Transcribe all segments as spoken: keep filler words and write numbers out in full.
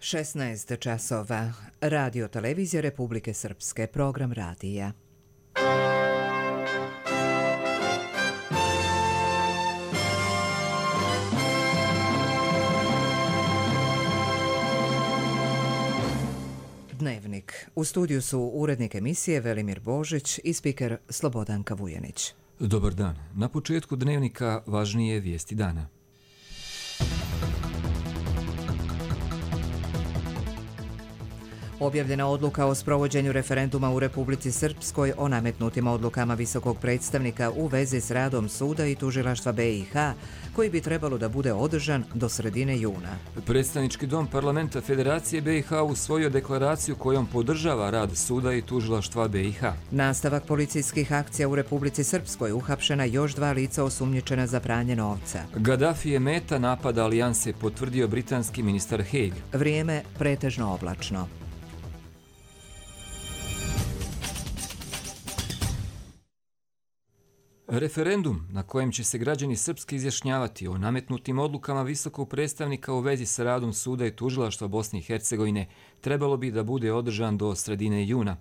šesnaest časova. Radio televizija Republike Srpske. Program radija. Dnevnik. U studiju su urednik emisije Velimir Božić i spiker Slobodanka Vujanić. Dobar dan. Na početku dnevnika važnije vijesti dana. Objavljena odluka o sprovođenju referenduma u Republici Srpskoj o nametnutim odlukama visokog predstavnika u vezi s radom suda i tužilaštva B i H, koji bi trebalo da bude održan do sredine juna. Predstavnički dom parlamenta Federacije B i H usvojio deklaraciju kojom podržava rad suda i tužilaštva B i H. Nastavak policijskih akcija u Republici Srpskoj, uhapšena još dva lica osumnjičena za pranje novca. Gaddafi je meta napada alijanse, potvrdio britanski ministar Haig. Vrijeme pretežno oblačno. Referendum na kojem će se građani Srpske izjašnjavati o nametnutim odlukama visokog predstavnika u vezi sa radom suda i tužilaštva Bosne i Hercegovine trebalo bi da bude održan do sredine juna.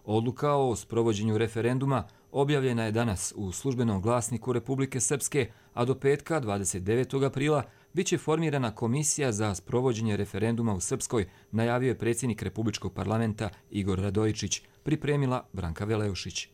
Odluka o sprovođenju referenduma objavljena je danas u službenom glasniku Republike Srpske, a do petka dvadeset devetog aprila bit će formirana komisija za sprovođenje referenduma u Srpskoj, najavio je predsjednik Republičkog parlamenta Igor Radojičić, pripremila Branka Veleušić.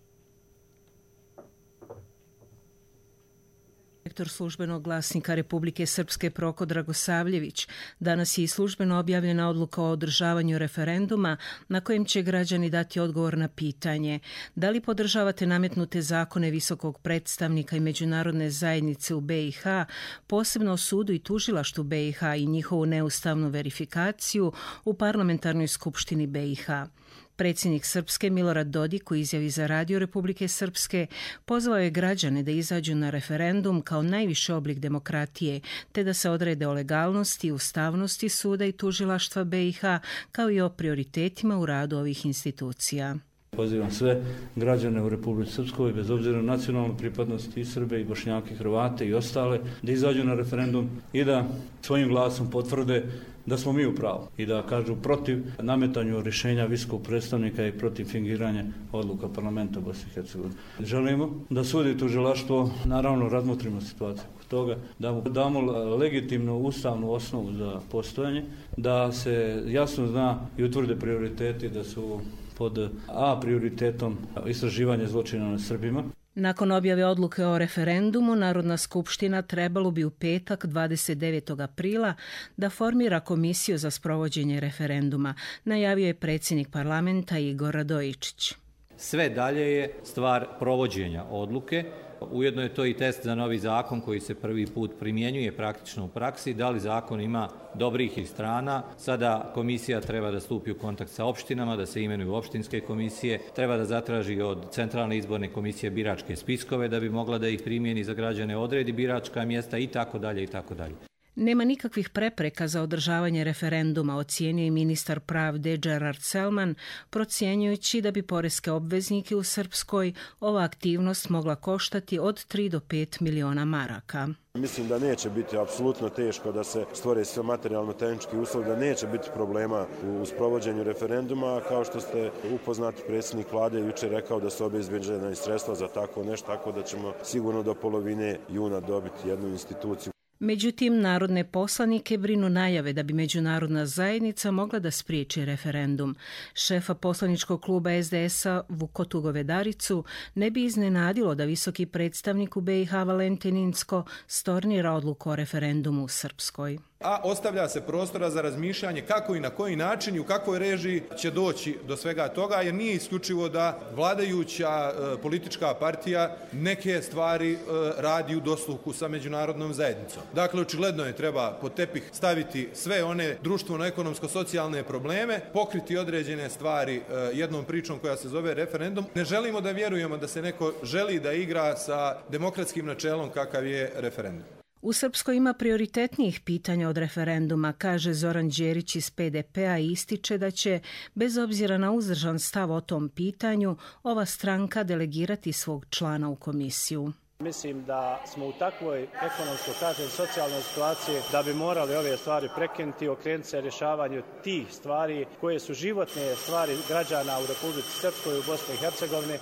Direktor službenog glasnika Republike Srpske Proko Dragosavljević, danas je i službeno objavljena odluka o održavanju referenduma na kojem će građani dati odgovor na pitanje da li podržavate nametnute zakone visokog predstavnika i međunarodne zajednice u B i H, posebno o sudu i tužilaštvu B i H i njihovu neustavnu verifikaciju u parlamentarnoj skupštini B i H. Predsjednik Srpske Milorad Dodik u izjavi za Radio Republike Srpske pozvao je građane da izađu na referendum kao najviši oblik demokratije, te da se odrede o legalnosti i ustavnosti suda i tužilaštva B i H, kao i o prioritetima u radu ovih institucija. Pozivam sve građane u Republici Srpskoj, bez obzira na nacionalnu pripadnost, i Srbe, i Bošnjake, i Hrvate, i ostale, da izađu na referendum i da svojim glasom potvrde da smo mi u pravu i da kažu protiv nametanju rješenja visokog predstavnika i protiv fingiranja odluka parlamenta Bosne i Hercegovine. Želimo da sud i tužilaštvo, naravno, razmotrimo situaciju toga, da mu damo legitimnu ustavnu osnovu za postojanje, da se jasno zna i utvrde prioriteti, da su pod A prioritetom istraživanje zločina nad Srbima. Nakon objave odluke o referendumu, Narodna skupština trebalo bi u petak dvadeset devetog aprila da formira komisiju za sprovođenje referenduma, najavio je predsjednik parlamenta Igor Radojičić. Sve dalje je stvar provođenja odluke. Ujedno je to i test za novi zakon koji se prvi put primjenjuje praktično u praksi. Da li zakon ima dobrih i strana? Sada komisija treba da stupi u kontakt sa opštinama, da se imenuju opštinske komisije, treba da zatraži od Centralne izborne komisije biračke spiskove da bi mogla da ih primjeni za građane, odredi biračka mjesta i tako dalje i tako dalje. Nema nikakvih prepreka za održavanje referenduma, ocijenio je ministar pravde Gerard Selman, procjenjujući da bi poreske obveznike u Srpskoj ova aktivnost mogla koštati od tri do pet miliona maraka. Mislim da neće biti apsolutno teško da se stvore sve materijalno-tehnički uslovi, da neće biti problema u sprovođenju referenduma. Kao što ste upoznati, predsjednik vlade jučer rekao da su obezbeđena i sredstva za tako nešto, tako da ćemo sigurno do polovine juna dobiti jednu instituciju. Međutim, narodne poslanike brinu najave da bi međunarodna zajednica mogla da spriječi referendum. Šefa poslaničkog kluba S D S-a Vukotu Govedaricu ne bi iznenadilo da visoki predstavnik u B i H Valentin Incko stornira odluku o referendumu u Srpskoj. A ostavlja se prostora za razmišljanje kako i na koji način i u kakvoj režiji će doći do svega toga, jer nije isključivo da vladajuća e, politička partija neke stvari e, radi u dosluhu sa međunarodnom zajednicom. Dakle, očigledno je treba pod tepih staviti sve one društveno-ekonomsko-socijalne probleme, pokriti određene stvari e, jednom pričom koja se zove referendum. Ne želimo da vjerujemo da se neko želi da igra sa demokratskim načelom kakav je referendum. U Srpskoj ima prioritetnijih pitanja od referenduma, kaže Zoran Đerić iz P D P-a i ističe da će, bez obzira na uzdržan stav o tom pitanju, ova stranka delegirati svog člana u komisiju. Mislim da smo u takvoj ekonomskoj, kažem, socijalnoj situaciji da bi morali ove stvari prekinuti i okrenuti se rješavanju tih stvari koje su životne stvari građana u Republici Srpskoj i u Bosni i Hercegovini.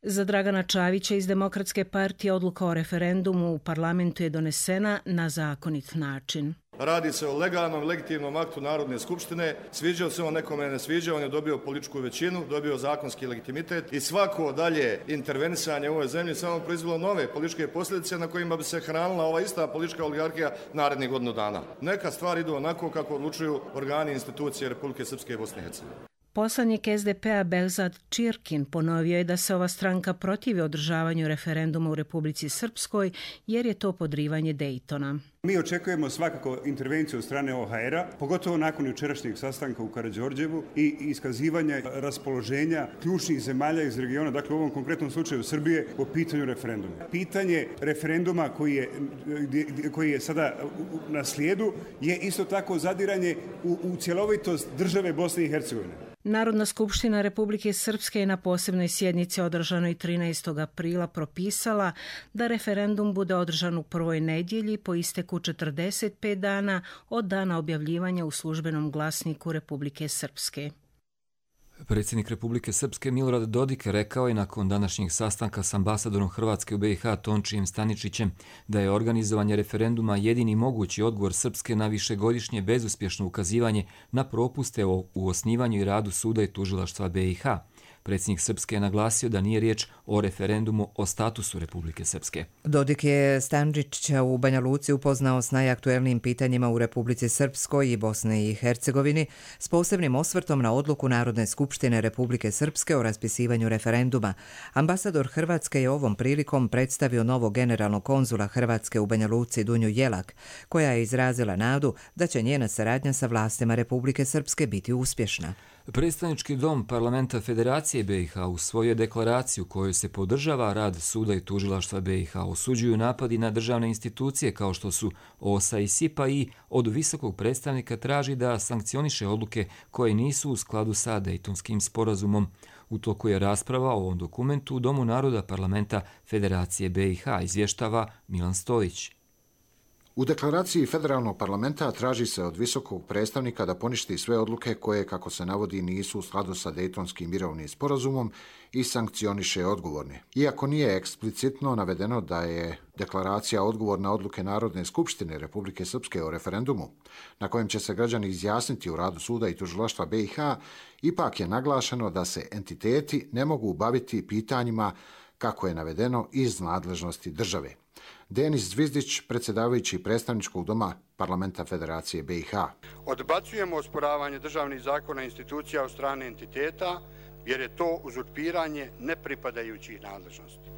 Za Dragana Čavića iz Demokratske partije odluka o referendumu u parlamentu je donesena na zakonit način. Radi se o legalnom, legitimnom aktu Narodne skupštine. Sviđao se on nekome, ne sviđao, on je dobio političku većinu, dobio zakonski legitimitet i svako dalje intervenisanje u ovoj zemlji samo proizvelo nove političke posljedice na kojima bi se hranila ova ista politička oligarhija narednih godinu dana. Neka stvari idu onako kako odlučuju organi i institucije Republike Srpske i Bosne i Hercegovine. Poslanik S D P-a Belzad Čirkin ponovio je da se ova stranka protivi održavanju referenduma u Republici Srpskoj jer je to podrivanje Dejtona. Mi očekujemo svakako intervenciju od strane O H R-a, pogotovo nakon jučerašnjeg sastanka u Karađorđevu i iskazivanja raspoloženja ključnih zemalja iz regiona, dakle u ovom konkretnom slučaju Srbije, po pitanju referenduma. Pitanje referenduma koji je, koji je sada na slijedu je isto tako zadiranje u, u cjelovitost države Bosne i Hercegovine. Narodna skupština Republike Srpske je na posebnoj sjednici održanoj trinaestog aprila propisala da referendum bude održan u prvoj nedjelji po isteku četrdeset pet dana od dana objavljivanja u službenom glasniku Republike Srpske. Predsjednik Republike Srpske Milorad Dodik rekao je nakon današnjeg sastanka s ambasadorom Hrvatske u B i H Tončijem Staničićem da je organizovanje referenduma jedini mogući odgovor Srpske na višegodišnje bezuspješno ukazivanje na propuste u osnivanju i radu suda i tužilaštva B i H. Predsjednik Srpske je naglasio da nije riječ o referendumu o statusu Republike Srpske. Dodik je Stančića u Banja Luci upoznao s najaktuelnijim pitanjima u Republici Srpskoj i Bosne i Hercegovini s posebnim osvrtom na odluku Narodne skupštine Republike Srpske o raspisivanju referenduma. Ambasador Hrvatske je ovom prilikom predstavio novog generalnog konzula Hrvatske u Banja Luci Dunju Jelak, koja je izrazila nadu da će njena saradnja sa vlastima Republike Srpske biti uspješna. Predstavnički dom Parlamenta Federacije B i H usvojio deklaraciju kojoj se podržava rad suda i tužilaštva B i H. Osuđuju napadi na državne institucije kao što su O S A i S I P A i od visokog predstavnika traži da sankcioniše odluke koje nisu u skladu sa Dejtonskim sporazumom. U toku je rasprava o ovom dokumentu u Domu naroda Parlamenta Federacije B i H, izvještava Milan Stojić. U deklaraciji Federalnog parlamenta traži se od visokog predstavnika da poništi sve odluke koje, kako se navodi, nisu u skladu sa Dejtonskim mirovnim sporazumom i sankcioniše odgovorne. Iako nije eksplicitno navedeno da je deklaracija odgovor na odluke Narodne skupštine Republike Srpske o referendumu, na kojem će se građani izjasniti u radu suda i tužilaštva B i H, ipak je naglašeno da se entiteti ne mogu baviti pitanjima kako je navedeno iz nadležnosti države. Denis Zvizdić, predsjedavajući predstavničkog doma Parlamenta Federacije B i H. Odbacujemo osporavanje državnih zakona i institucija od strane entiteta, jer je to uzurpiranje nepripadajućih nadležnosti.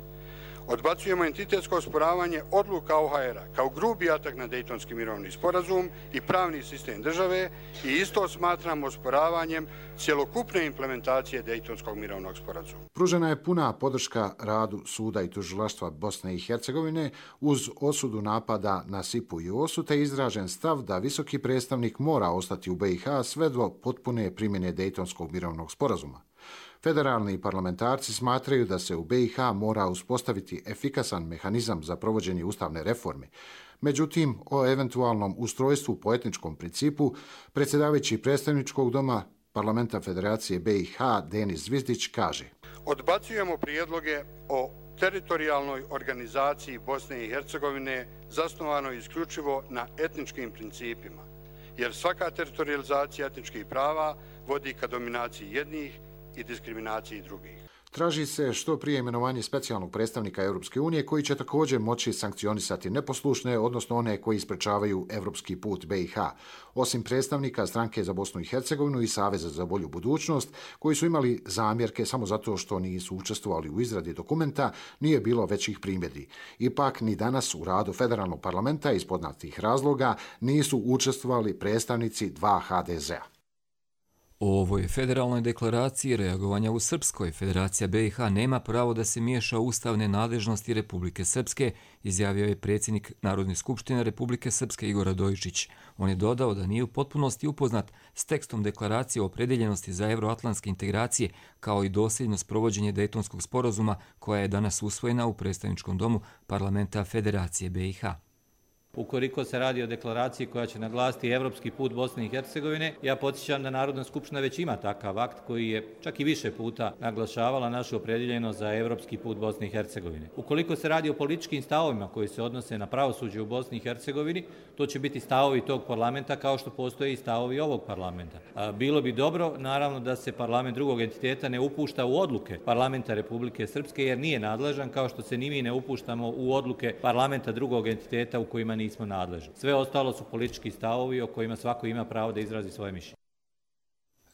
Odbacujemo entitetsko osporavanje odluka O H R-a kao grubi atak na Dejtonski mirovni sporazum i pravni sistem države i isto smatramo osporavanjem cjelokupne implementacije Dejtonskog mirovnog sporazuma. Pružena je puna podrška radu suda i tužilaštva Bosne i Hercegovine uz osudu napada na S I P U i O S U te izražen stav da visoki predstavnik mora ostati u B i H sve do potpune primjene Dejtonskog mirovnog sporazuma. Federalni parlamentarci smatraju da se u B i H mora uspostaviti efikasan mehanizam za provođenje ustavne reforme. Međutim, o eventualnom ustrojstvu po etničkom principu predsjedavajući predstavničkog doma Parlamenta Federacije B i H Denis Zvizdić kaže: Odbacujemo prijedloge o teritorijalnoj organizaciji Bosne i Hercegovine zasnovanoj isključivo na etničkim principima, jer svaka teritorijalizacija etničkih prava vodi ka dominaciji jednih i diskriminaciji drugih. Traži se što prije imenovanje specijalnog predstavnika Europske unije koji će također moći sankcionisati neposlušne, odnosno one koji isprečavaju evropski put B i H. Osim predstavnika Stranke za Bosnu i Hercegovinu i Saveza za bolju budućnost, koji su imali zamjerke samo zato što nisu učestvovali u izradi dokumenta, nije bilo većih primjedbi. Ipak ni danas u radu Federalnog parlamenta iz poznatih razloga nisu učestvovali predstavnici dva H D Z-a. O ovoj federalnoj deklaraciji reagovanja u Srpskoj Federacija B i H nema pravo da se miješa u ustavne nadležnosti Republike Srpske, izjavio je predsjednik Narodne skupštine Republike Srpske Igor Radojičić. On je dodao da nije u potpunosti upoznat s tekstom deklaracije o opredeljenosti za evroatlantske integracije kao i dosljednost provođenje Dejtonskog sporazuma koja je danas usvojena u predstavničkom domu Parlamenta Federacije B i H. Ukoliko se radi o deklaraciji koja će naglasiti evropski put Bosne i Hercegovine, ja podsjećam da Narodna skupština već ima takav akt koji je čak i više puta naglašavala našu opredjeljenost za evropski put Bosne i Hercegovine. Ukoliko se radi o političkim stavovima koji se odnose na pravosuđe u Bosni i Hercegovini, to će biti stavovi tog parlamenta kao što postoje i stavovi ovog parlamenta. Bilo bi dobro, naravno, da se parlament drugog entiteta ne upušta u odluke parlamenta Republike Srpske jer nije nadležan, kao što se ni mi ne upuštamo u odluke parlamenta drugog entiteta u kojima nismo nadležni. Sve ostalo su politički stavovi o kojima svako ima pravo da izrazi svoje mišljenje.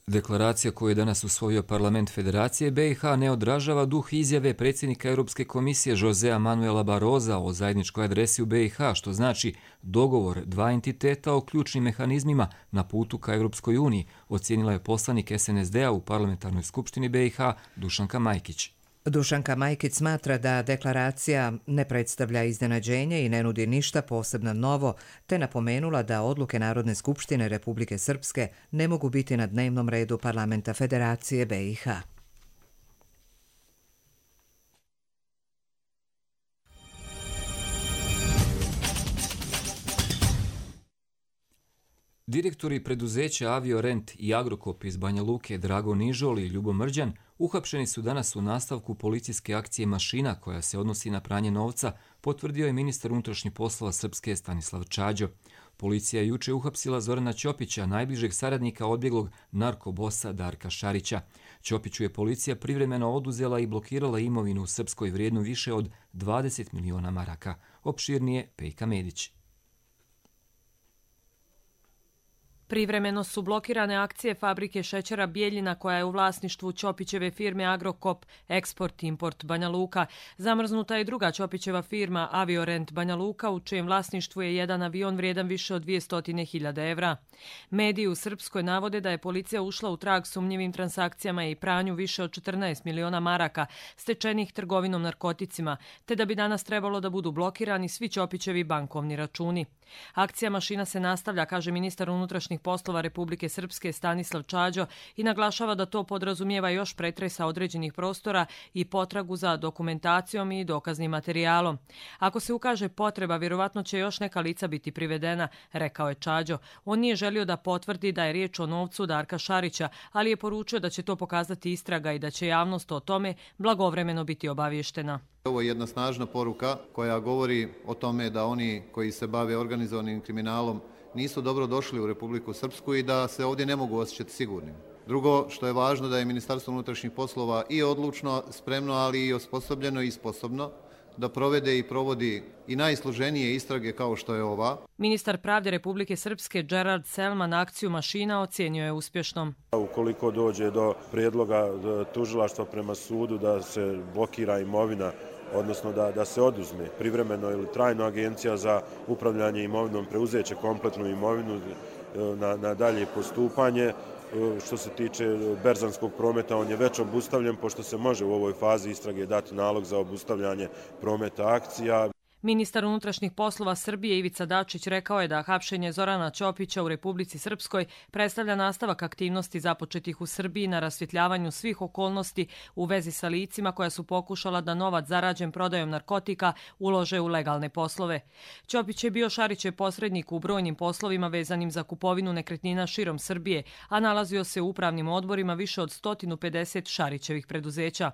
Deklaracija koju je danas usvojio parlament Federacije B i H ne odražava duh izjave predsjednika Europske komisije Josea Manuela Barroza o zajedničkoj adresi u B i H, što znači dogovor dva entiteta o ključnim mehanizmima na putu ka Europskoj uniji, ocijenila je poslanik S N S D-a u parlamentarnoj skupštini B i H Dušanka Majkić. Dušanka Majkić smatra da deklaracija ne predstavlja iznenađenje i ne nudi ništa posebno novo, te napomenula da odluke Narodne skupštine Republike Srpske ne mogu biti na dnevnom redu Parlamenta Federacije B i H. Direktori preduzeća Aviorent i Agrokop iz Banja Luke Drago Nižol i Ljubo Mrđan uhapšeni su danas u nastavku policijske akcije Mašina koja se odnosi na pranje novca, potvrdio je ministar unutrašnjih poslova Srpske Stanislav Čađo. Policija je juče uhapsila Zorana Ćopića, najbližeg saradnika odbjeglog narkobosa Darka Šarića. Ćopiću je policija privremeno oduzela i blokirala imovinu u Srpskoj vrijednu više od dvadeset miliona maraka. Opširnije Pejka Medić. Privremeno su blokirane akcije fabrike šećera Bijeljina koja je u vlasništvu Ćopićeve firme Agrokop Eksport Import Banja Luka. Zamrznuta je druga Ćopićeva firma Aviorent Banja Luka u čijem vlasništvu je jedan avion vrijedan više od dvjesto hiljada evra. Mediji u Srpskoj navode da je policija ušla u trag sumnjivim transakcijama i pranju više od četrnaest miliona maraka stečenih trgovinom narkoticima, te da bi danas trebalo da budu blokirani svi Ćopićevi bankovni računi. Akcija Mašina se nastavlja, kaže ministar unutrašnjih poslova Republike Srpske Stanislav Čađo i naglašava da to podrazumijeva još pretresa određenih prostora i potragu za dokumentacijom i dokaznim materijalom. Ako se ukaže potreba, vjerovatno će još neka lica biti privedena, rekao je Čađo. On nije želio da potvrdi da je riječ o novcu Darka Šarića, ali je poručio da će to pokazati istraga i da će javnost o tome blagovremeno biti obavještena. Ovo je jedna snažna poruka koja govori o tome da oni koji se bave organizovanim kriminalom nisu dobro došli u Republiku Srpsku i da se ovdje ne mogu osjećati sigurnim. Drugo, što je važno, da je Ministarstvo unutrašnjih poslova i odlučno, spremno, ali i osposobljeno i sposobno da provede i provodi i najsloženije istrage kao što je ova. Ministar pravde Republike Srpske Gerard Selman akciju Mašina ocjenio je uspješnom. Ukoliko dođe do prijedloga tužilaštva prema sudu da se blokira imovina, odnosno da, da se oduzme privremeno ili trajno agencija za upravljanje imovinom, preuzeće kompletnu imovinu na, na dalje postupanje. Što se tiče berzanskog prometa, on je već obustavljen, pošto se može u ovoj fazi istrage dati nalog za obustavljanje prometa akcija. Ministar unutrašnjih poslova Srbije Ivica Dačić rekao je da hapšenje Zorana Ćopića u Republici Srpskoj predstavlja nastavak aktivnosti započetih u Srbiji na rasvjetljavanju svih okolnosti u vezi sa licima koja su pokušala da novac zarađen prodajom narkotika ulože u legalne poslove. Ćopić je bio Šarićev posrednik u brojnim poslovima vezanim za kupovinu nekretnina širom Srbije, a nalazio se u upravnim odborima više od sto pedeset Šarićevih preduzeća.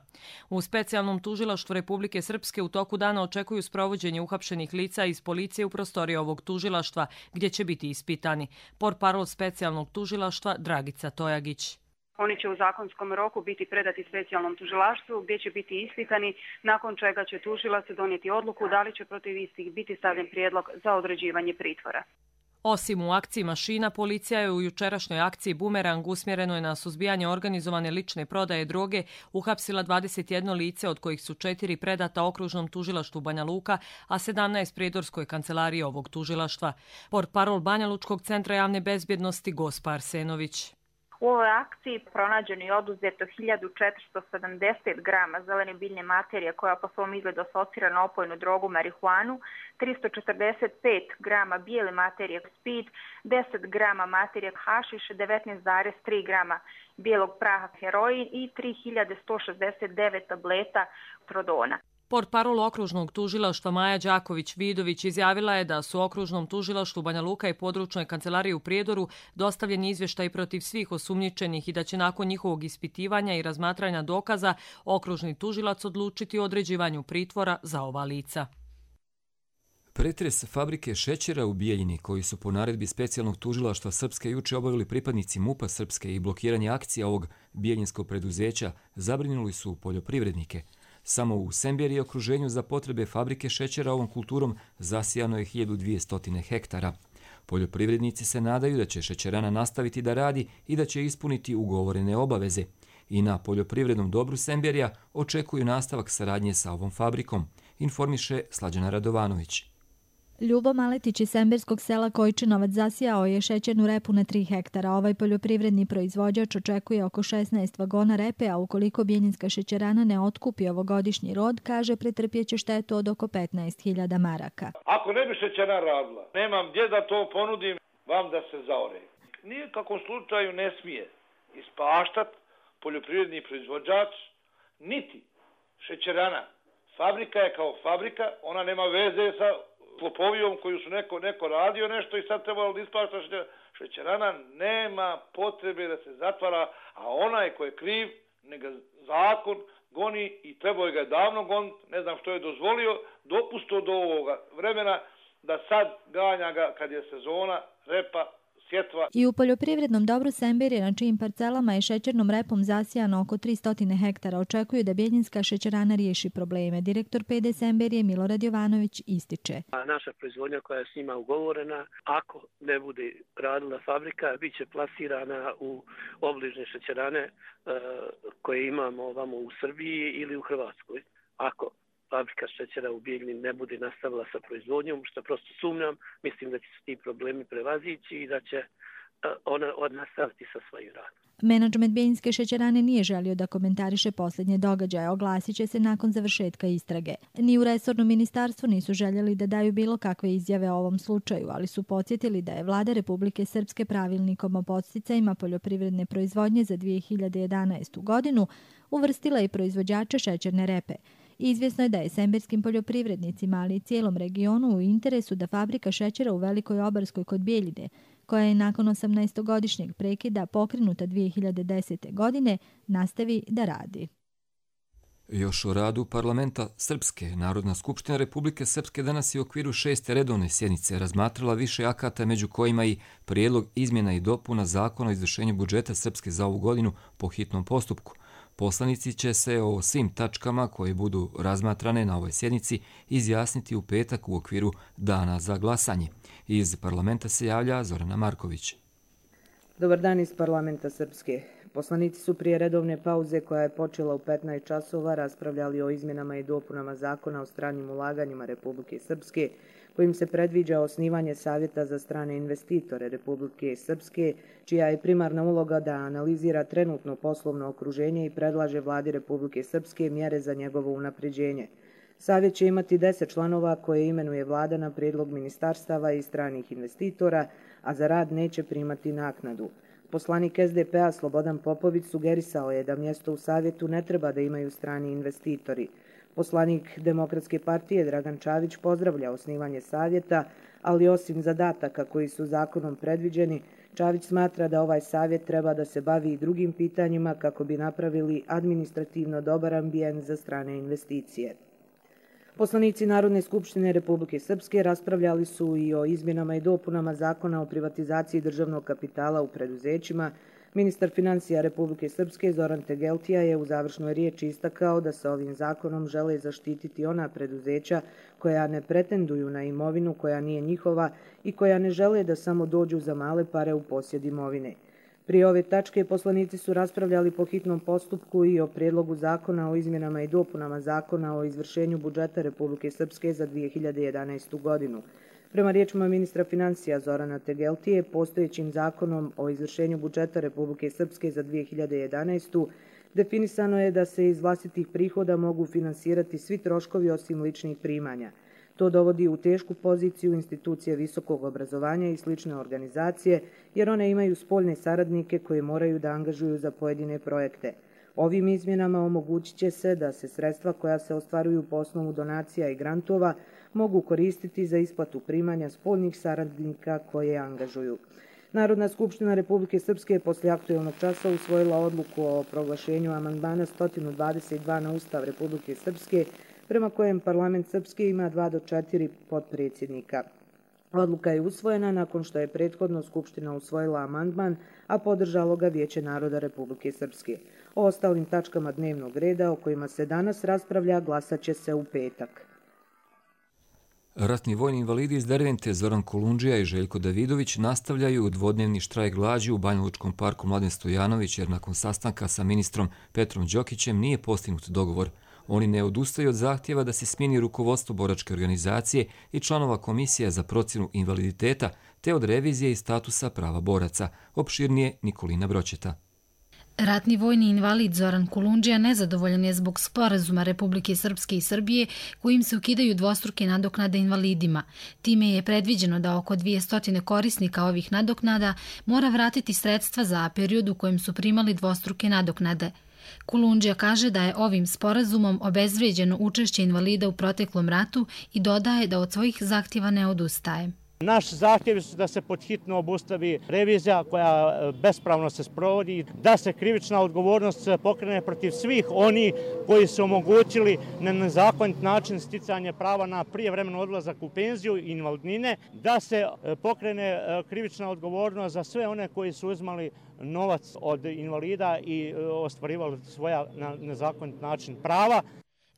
U specijalnom tužilaštvu Republike Srpske u toku dana očekuju sprovođenje uhapšenih lica iz policije u prostoriji ovog tužilaštva, gdje će biti ispitani. Portparol specijalnog tužilaštva Dragica Tojagić. Oni će u zakonskom roku biti predati specijalnom tužilaštvu gdje će biti ispitani, nakon čega će tužilac donijeti odluku da li će protiv istih biti stavljen prijedlog za određivanje pritvora. Osim u akciji Mašina, policija je u jučerašnjoj akciji Bumerang usmjerenoj na suzbijanje organizovane lične prodaje droge uhapsila dvadeset jedno lice, od kojih su četiri predata okružnom tužilaštvu Banja Luka, a sedamnaest prijedorskoj kancelariji ovog tužilaštva. Portparol Banja Lučkog centra javne bezbjednosti Gospa Arsenović. U ovoj akciji pronađeno i oduzeto hiljadu četiristo sedamdeset grama zelene biljne materije koja po svom izgledu asocira na opojnu drogu marihuanu, tristo četrdeset pet grama bijele materije speed, deset grama materije hašiš, devetnaest zarez tri grama bijelog praha heroin i tri hiljade sto šezdeset devet tableta trodona. Portparol okružnog tužilaštva Maja Đaković-Vidović izjavila je da su okružnom tužilaštvu Banja Luka i područnoj kancelariji u Prijedoru dostavljeni izvještaj protiv svih osumnjičenih i da će nakon njihovog ispitivanja i razmatranja dokaza okružni tužilac odlučiti o određivanju pritvora za ova lica. Pretres fabrike šećera u Bijeljini, koji su po naredbi specijalnog tužilaštva Srpske juče obavili pripadnici MUP-a Srpske i blokiranje akcija ovog bijeljinskog preduzeća, zabrinuli su poljoprivrednike. Samo u Semberi i okruženju za potrebe fabrike šećera ovom kulturom zasijano je hiljadu dvjesto hektara. Poljoprivrednici se nadaju da će šećerana nastaviti da radi i da će ispuniti ugovorene obaveze. I na poljoprivrednom dobru Semberija očekuju nastavak saradnje sa ovom fabrikom, informiše Slađana Radovanović. Ljubo Maletić iz semberskog sela Kojčinovac zasijao je šećernu repu na tri hektara. Ovaj poljoprivredni proizvođač očekuje oko šesnaest vagona repe, a ukoliko Bijeljinska šećerana ne otkupi ovogodišnji rod, kaže pretrpjeće štetu od oko petnaest hiljada maraka. Ako ne bi šećerana radila, nemam gdje da to ponudim vam da se zaore. Nije kakvom slučaju ne smije ispaštat poljoprivredni proizvođač, niti šećerana. Fabrika je kao fabrika, ona nema veze sa klopovijom koju su neko, neko radio nešto i sad trebalo da ispašta šećerana, nema potrebe da se zatvara, a onaj ko je kriv, neka zakon goni i trebao ga je davno goniti, ne znam što je dozvolio, dopusto do ovoga vremena da sad ganja ga kad je sezona, repa, sjetva. I u poljoprivrednom dobru Semberije, na čijim parcelama je šećernom repom zasijano oko tristo hektara, očekuju da Bijeljinska šećerana riješi probleme. Direktor P D Semberije Milorad Jovanović ističe. Naša proizvodnja koja je s njima ugovorena, ako ne bude radila fabrika, bit će plasirana u obližne šećerane koje imamo ovamo u Srbiji ili u Hrvatskoj. Ako fabrika šećera u Bijeljini ne bude nastavila sa proizvodnjom, što prosto sumnjam, mislim da će se ti problemi prevazići i da će ona nastaviti sa svojim radom. Menadžment Bijeljinske šećerane nije želio da komentariše posljednje događaje, oglasit će se nakon završetka istrage. Ni u resornom ministarstvu nisu željeli da daju bilo kakve izjave o ovom slučaju, ali su podsjetili da je Vlada Republike Srpske pravilnikom o podsticajima poljoprivredne proizvodnje za dvije hiljade jedanaestu godinu uvrstila i proizvođače šećerne repe. Izvjesno je da je semberskim poljoprivrednicima, ali i cijelom regionu u interesu da fabrika šećera u Velikoj Obarskoj kod Bijeljine, koja je nakon osamnaestogodišnjeg prekida pokrenuta dvije hiljade desete. godine, nastavi da radi. Još o radu parlamenta Srpske. Narodna skupština Republike Srpske danas je u okviru šeste redovne sjednice razmatrala više akata, među kojima i prijedlog izmjena i dopuna zakona o izvršenju budžeta Srpske za ovu godinu po hitnom postupku. Poslanici će se o svim tačkama koje budu razmatrane na ovoj sjednici izjasniti u petak u okviru dana za glasanje. Iz parlamenta se javlja Zorana Marković. Dobar dan iz parlamenta Srpske. Poslanici su prije redovne pauze koja je počela u petnaest časova raspravljali o izmjenama i dopunama zakona o stranim ulaganjima Republike Srpske, kojim se predviđa osnivanje Savjeta za strane investitore Republike Srpske, čija je primarna uloga da analizira trenutno poslovno okruženje i predlaže Vladi Republike Srpske mjere za njegovo unapređenje. Savjet će imati deset članova koje imenuje Vlada na prijedlog ministarstava i stranih investitora, a za rad neće primati naknadu. Poslanik S D P-a Slobodan Popović sugerisao je da mjesto u savjetu ne treba da imaju strani investitori. Poslanik Demokratske partije Dragan Čavić pozdravlja osnivanje savjeta, ali osim zadataka koji su zakonom predviđeni, Čavić smatra da ovaj savjet treba da se bavi i drugim pitanjima kako bi napravili administrativno dobar ambijent za strane investicije. Poslanici Narodne skupštine Republike Srpske raspravljali su i o izmjenama i dopunama zakona o privatizaciji državnog kapitala u preduzećima. Ministar financija Republike Srpske Zoran Tegeltija je u završnoj riječi istakao da se ovim zakonom žele zaštititi ona preduzeća koja ne pretenduju na imovinu koja nije njihova i koja ne žele da samo dođu za male pare u posjed imovine. Prije ove tačke poslanici su raspravljali po hitnom postupku i o prijedlogu zakona o izmjenama i dopunama zakona o izvršenju budžeta Republike Srpske za dvije hiljade jedanaestu godinu. Prema riječima ministra financija Zorana Tegeltije, postojećim zakonom o izvršenju budžeta Republike Srpske za dvije hiljade jedanaestu definisano je da se iz vlastitih prihoda mogu finansirati svi troškovi osim ličnih primanja. To dovodi u tešku poziciju institucije visokog obrazovanja i slične organizacije, jer one imaju spoljne saradnike koje moraju da angažuju za pojedine projekte. Ovim izmjenama omogućit će se da se sredstva koja se ostvaruju po osnovu donacija i grantova mogu koristiti za isplatu primanja spoljnih saradnika koje angažuju. Narodna skupština Republike Srpske poslije aktuelnog časa usvojila odluku o proglašenju amandmana sto dvadeset dva na Ustav Republike Srpske, prema kojem parlament Srpske ima dva do četiri potpredsjednika. Odluka je usvojena nakon što je prethodno Skupština usvojila amandman, a podržalo ga Vijeće naroda Republike Srpske. O ostalim tačkama dnevnog reda o kojima se danas raspravlja glasat će se u petak. Ratni vojni invalidi iz Dervente Zoran Kolundžija i Željko Davidović nastavljaju dvodnevni štrajk glađu u Banjalučkom parku Mladen Stojanović jer nakon sastanka sa ministrom Petrom Đokićem nije postignut dogovor. Oni ne odustaju od zahtjeva da se smijeni rukovodstvo boračke organizacije i članova komisija za procjenu invaliditeta te od revizije i statusa prava boraca. Opširnije Nikolina Broćeta. Ratni vojni invalid Zoran Kolundžija nezadovoljan je zbog sporazuma Republike Srpske i Srbije kojim se ukidaju dvostruke nadoknade invalidima. Time je predviđeno da oko dvjesto korisnika ovih nadoknada mora vratiti sredstva za period u kojem su primali dvostruke nadoknade. Kolundžija kaže da je ovim sporazumom obezvrijeđeno učešće invalida u proteklom ratu i dodaje da od svojih zahtjeva ne odustaje. Naš zahtjev je da se podhitno obustavi revizija koja bespravno se sprovodi, da se krivična odgovornost pokrene protiv svih oni koji su omogućili na nezakonit način sticanje prava na prijevremeni odlazak u penziju i invalidnine, da se pokrene krivična odgovornost za sve one koji su uzmali novac od invalida i ostvarivali svoja na nezakonit način prava.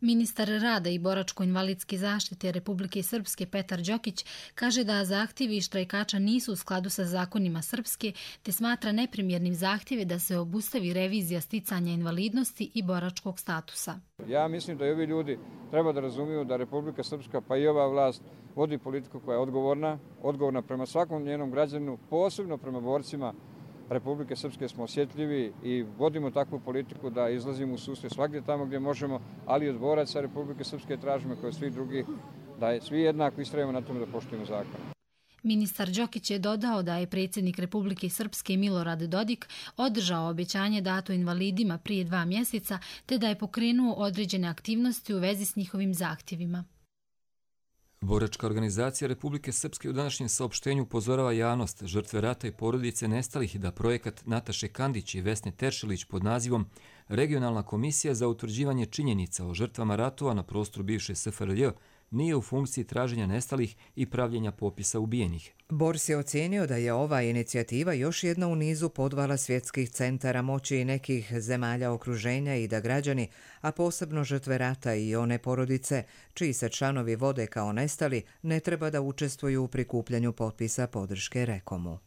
Ministar rada i boračko-invalidske zaštite Republike Srpske Petar Đokić kaže da zahtjevi štrajkača nisu u skladu sa zakonima Srpske, te smatra neprimjernim zahtjeve da se obustavi revizija sticanja invalidnosti i boračkog statusa. Ja mislim da i ovi ljudi treba da razumiju da Republika Srpska pa i ova vlast vodi politiku koja je odgovorna, odgovorna prema svakom njenom građanu, posebno prema borcima Republike Srpske smo osjetljivi i vodimo takvu politiku da izlazimo u susret svakdje tamo gdje možemo, ali od boraca Republike Srpske tražimo kao svi drugi da je svi jednako istrajemo na tome da poštujemo zakon. Ministar Đokić je dodao da je predsjednik Republike Srpske Milorad Dodik održao obećanje dato invalidima prije dva mjeseca te da je pokrenuo određene aktivnosti u vezi s njihovim zahtjevima. Boračka organizacija Republike Srpske u današnjem saopštenju upozorava javnost, žrtve rata i porodice nestalih i da projekat Nataše Kandić i Vesne Teršelić pod nazivom Regionalna komisija za utvrđivanje činjenica o žrtvama ratova na prostoru bivše S F R J nije u funkciji traženja nestalih i pravljenja popisa ubijenih. Bors je ocijenio da je ova inicijativa još jedna u nizu podvala svjetskih centara moći i nekih zemalja okruženja i da građani, a posebno žrtve rata i one porodice, čiji se članovi vode kao nestali, ne treba da učestvuju u prikupljanju potpisa podrške Rekomu.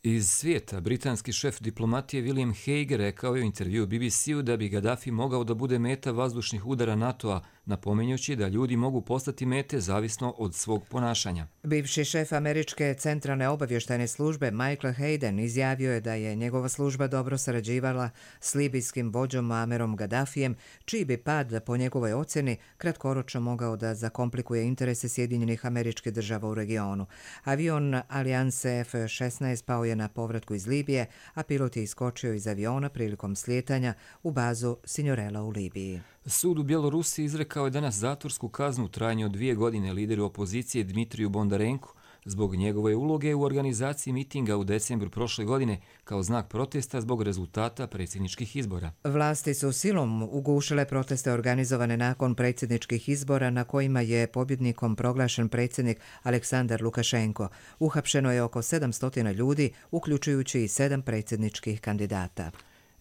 Iz svijeta, britanski šef diplomatije William Hague rekao je u intervju B B C-u da bi Gaddafi mogao da bude meta vazdušnih udara NATO-a, napominjući da ljudi mogu postati mete zavisno od svog ponašanja. Bivši šef američke centralne obavještajne službe Michael Hayden izjavio je da je njegova služba dobro sarađivala s libijskim vođom Muammerom Gaddafijem, čiji bi pad, po njegovoj ocjeni, kratkoročno mogao da zakomplikuje interese Sjedinjenih Američkih Država u regionu. Avion Alijanse F šesnaest pao je na povratku iz Libije, a pilot je iskočio iz aviona prilikom slijetanja u bazu Signorella u Libiji. Sud u Bjelorusiji izrekao je danas zatvorsku kaznu u trajanju od dvije godine lideru opozicije Dmitriju Bondarenku zbog njegove uloge u organizaciji mitinga u decembru prošle godine kao znak protesta zbog rezultata predsjedničkih izbora. Vlasti su silom ugušile proteste organizovane nakon predsjedničkih izbora na kojima je pobjednikom proglašen predsjednik Aleksandar Lukašenko. Uhapšeno je oko sedamsto ljudi, uključujući i sedam predsjedničkih kandidata.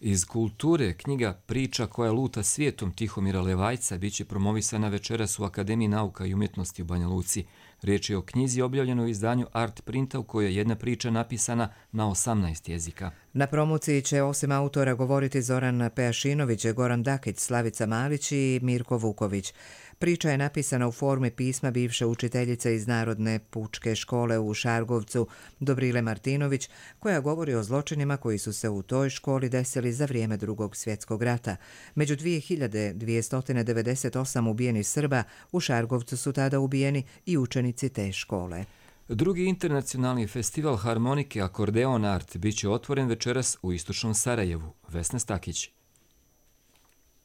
Iz kulture knjiga Priča koja luta svijetom Tihomira Levajca biće promovisana večeras u Akademiji nauka i umjetnosti u Banja Luci. Riječ je o knjizi objavljenoj u izdanju Art Printa u kojoj je jedna priča napisana na osamnaest jezika. Na promociji će osim autora govoriti Zoran Pejašinović, Goran Dakić, Slavica Malić i Mirko Vuković. Priča je napisana u formi pisma bivše učiteljice iz Narodne pučke škole u Šargovcu, Dobrile Martinović, koja govori o zločinima koji su se u toj školi desili za vrijeme Drugog svjetskog rata. Među dvije hiljade dvjesto devedeset osam ubijenih Srba u Šargovcu su tada ubijeni i učenici te škole. Drugi internacionalni festival harmonike Akordeon Art biće otvoren večeras u istočnom Sarajevu. Vesna Stakić.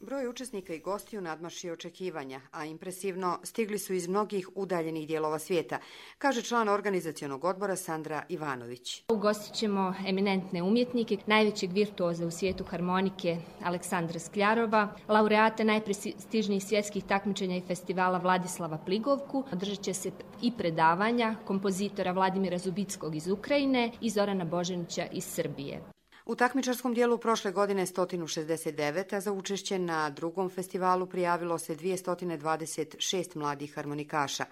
Broj učesnika i gostiju nadmašio očekivanja, a impresivno stigli su iz mnogih udaljenih dijelova svijeta, kaže član organizacionog odbora Sandra Ivanović. Ugostit ćemo eminentne umjetnike, najvećeg virtuoza u svijetu harmonike Aleksandra Skljarova, laureate najprestižnijih svjetskih takmičenja i festivala Vladislava Pligovku. Održat će se i predavanja kompozitora Vladimira Zubickog iz Ukrajine i Zorana Božanića iz Srbije. U takmičarskom dijelu prošle godine sto šezdeset devet, a za učešće na drugom festivalu prijavilo se dvjesto dvadeset šest mladih harmonikaša.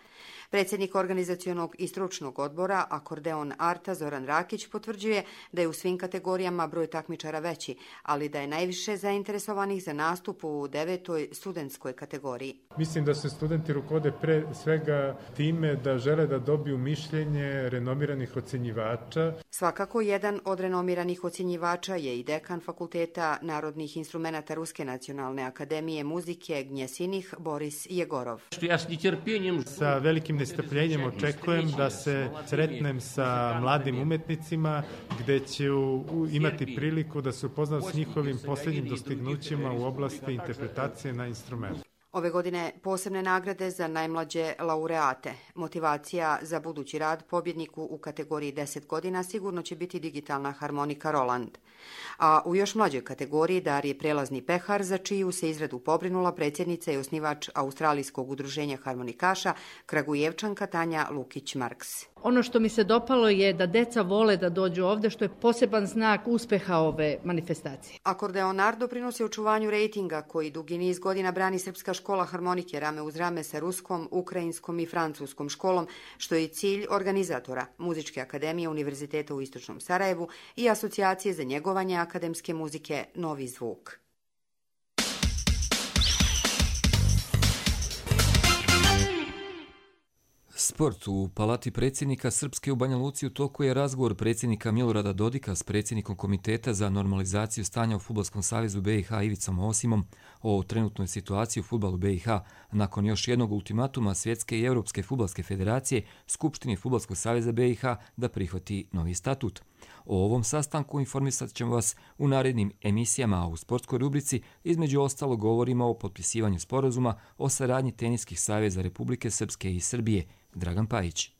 Predsjednik organizacionog i stručnog odbora Akordeon Arta Zoran Rakić potvrđuje da je u svim kategorijama broj takmičara veći, ali da je najviše zainteresovanih za nastup u devetoj studentskoj kategoriji. Mislim da se studenti rukovode pre svega time da žele da dobiju mišljenje renomiranih ocjenjivača. Svakako jedan od renomiranih ocjenjivača je i dekan Fakulteta narodnih instrumenata Ruske nacionalne akademije muzike Gnjesinih Boris Jegorov. Sa velikim nestrpljenjem očekujem da se sretnem sa mladim umetnicima gdje ću imati priliku da se upoznam s njihovim posljednjim dostignućima u oblasti interpretacije na instrument. Ove godine posebne nagrade za najmlađe laureate. Motivacija za budući rad pobjedniku u kategoriji deset godina sigurno će biti digitalna harmonika Roland. A u još mlađoj kategoriji dar je prelazni pehar za čiju se izradu pobrinula predsjednica i osnivač Australijskog udruženja harmonikaša Kragujevčanka Tanja Lukić-Marks. Ono što mi se dopalo je da deca vole da dođu ovdje, što je poseban znak uspjeha ove manifestacije. Akordeon Art doprinosi očuvanju rejtinga koji dugi niz godina brani Srpska škola harmonike rame uz rame sa ruskom, ukrajinskom i francuskom školom, što je cilj organizatora Muzičke akademije Univerziteta u Istočnom Sarajevu i Asocijacije za njegovanje akademske muzike Novi zvuk. Sport. U Palati predsjednika Srpske u Banja Luci u toku je razgovor predsjednika Milorada Dodika s predsjednikom Komiteta za normalizaciju stanja u Fudbalskom savezu B i H Ivicom Osimom o trenutnoj situaciji u fudbalu B i H nakon još jednog ultimatuma Svjetske i Europske fudbalske federacije Skupštini Fudbalskog saveza B i H da prihvati novi statut. O ovom sastanku informisat ćemo vas u narednim emisijama, a u sportskoj rubrici između ostalo govorimo o potpisivanju sporazuma o saradnji teniskih saveza Republike Srpske i Srbije. Dragan Pajić.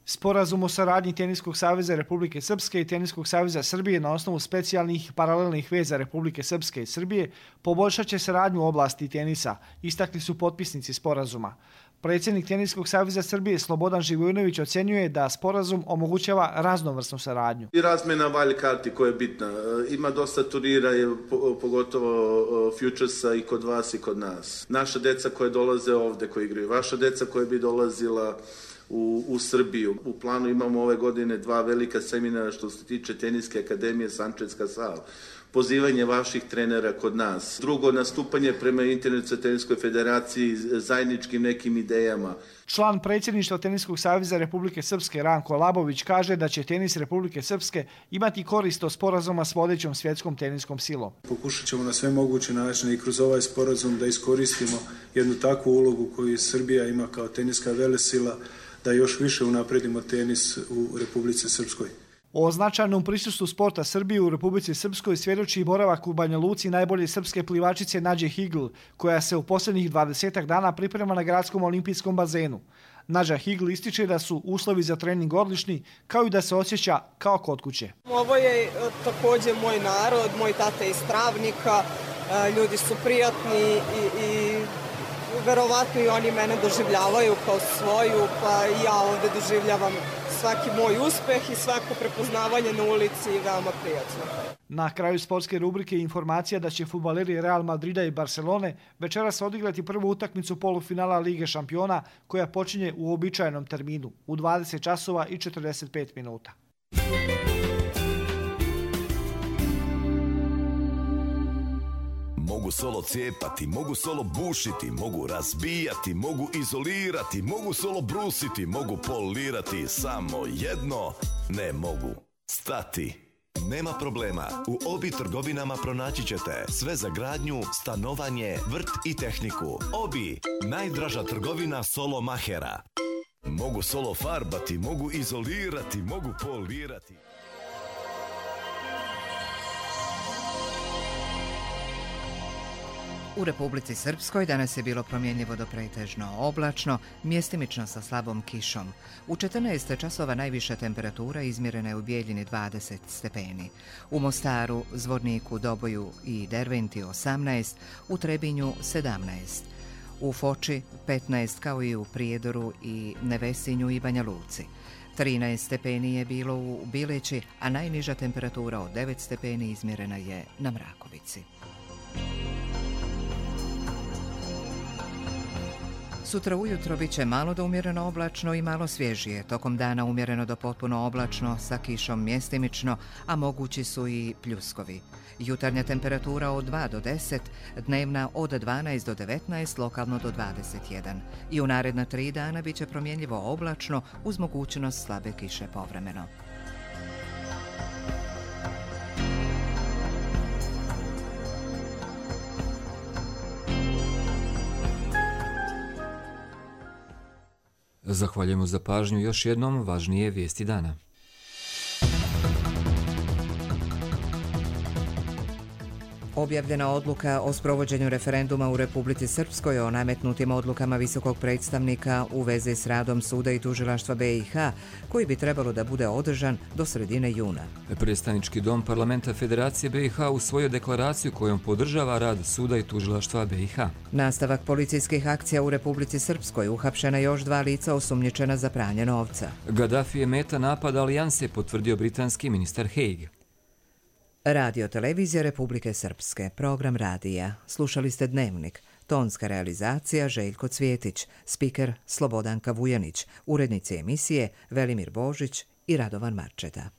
Sporazum o saradnji Teniskog saveza Republike Srpske i Teniskog saveza Srbije na osnovu specijalnih i paralelnih veza Republike Srpske i Srbije poboljšat će saradnju u oblasti tenisa, istakli su potpisnici sporazuma. Predsjednik Teniskog saveza Srbije Slobodan Živojinović ocjenjuje da sporazum omogućava raznovrsnu saradnju. I razmjena valj karti koja je bitna. Ima dosta turnira, pogotovo Futuresa i kod vas i kod nas. Naša deca koje dolaze ovdje, koji igraju, vaša deca koja bi dolazila U, u Srbiju. U planu imamo ove godine dva velika seminara što se tiče Teniske akademije Sančevska sala. Pozivanje vaših trenera kod nas. Drugo, nastupanje prema Internacionalnoj teniskoj federaciji zajedničkim nekim idejama. Član predsjedništva Teniskog saveza Republike Srpske Ranko Labović kaže da će tenis Republike Srpske imati korist od sporazuma s vodećom svjetskom teniskom silom. Pokušat ćemo na sve moguće načine i kroz ovaj sporazum da iskoristimo jednu takvu ulogu koju Srbija ima kao teniska velesila, da još više unapredimo tenis u Republici Srpskoj. O značajnom prisustvu sporta Srbije u Republici Srpskoj svjedoči i boravak u Banja Luci najbolje srpske plivačice Nađe Higl, koja se u posljednjih dvadesetak dana priprema na gradskom olimpijskom bazenu. Nađa Higl ističe da su uslovi za trening odlični, kao i da se osjeća kao kod kuće. Ovo je također moj narod, moj tata iz Travnika, ljudi su prijatni i, i verovatno i oni mene doživljavaju kao svoju, pa i ja ovde doživljavam svaki moj uspeh i svako prepoznavanje na ulici veoma prijatno. Na kraju sportske rubrike informacija da će fudbaleri Real Madrida i Barcelone večeras odigrati prvu utakmicu polufinala Lige šampiona koja počinje u uobičajenom terminu u dvadeset časova i četrdeset pet minuta. Mogu solo cijepati, mogu solo bušiti, mogu razbijati, mogu izolirati, mogu solo brusiti, mogu polirati, samo jedno ne mogu stati. Nema problema, u Obi trgovinama pronaći ćete sve za gradnju, stanovanje, vrt i tehniku. Obi, najdraža trgovina solo mahera. Mogu solo farbati, mogu izolirati, mogu polirati. U Republici Srpskoj danas je bilo promjenjivo do pretežno oblačno, mjestimično sa slabom kišom. U četrnaest časova najviša temperatura izmjerena je u Bijeljini dvadeset stepeni. U Mostaru, Zvorniku, Doboju i Derventi osamnaest, u Trebinju sedamnaest. U Foči petnaest kao i u Prijedoru i Nevesinju i Banja Luci. trinaest stepeni je bilo u Bileći, a najniža temperatura od devet stepeni izmjerena je na Mrakovici. Sutra ujutro bit će malo do umjereno oblačno i malo svježije. Tokom dana umjereno do potpuno oblačno sa kišom mjestimično, a mogući su i pljuskovi. Jutarnja temperatura od dva do deset, dnevna od dvanaest do devetnaest, lokalno do dvadeset jedan. I u naredna tri dana bit će promjenjivo oblačno uz mogućnost slabe kiše povremeno. Zahvaljujemo za pažnju, još jednom važnije vijesti dana. Objavljena odluka o sprovođenju referenduma u Republici Srpskoj o nametnutim odlukama visokog predstavnika u vezi s radom suda i tužilaštva B i H, koji bi trebalo da bude održan do sredine juna. Predstavnički dom Parlamenta Federacije B i H usvojio deklaraciju kojom podržava rad suda i tužilaštva B i H. Nastavak policijskih akcija u Republici Srpskoj, uhapšena još dva lica osumnjičena za pranje novca. Gaddafi je meta napada alijanse, potvrdio britanski ministar Haig. Radio televizija Republike Srpske, program radija. Slušali ste Dnevnik. Tonska realizacija Željko Cvjetić, spiker Slobodanka Vujanić, urednici emisije Velimir Božić i Radovan Marčeta.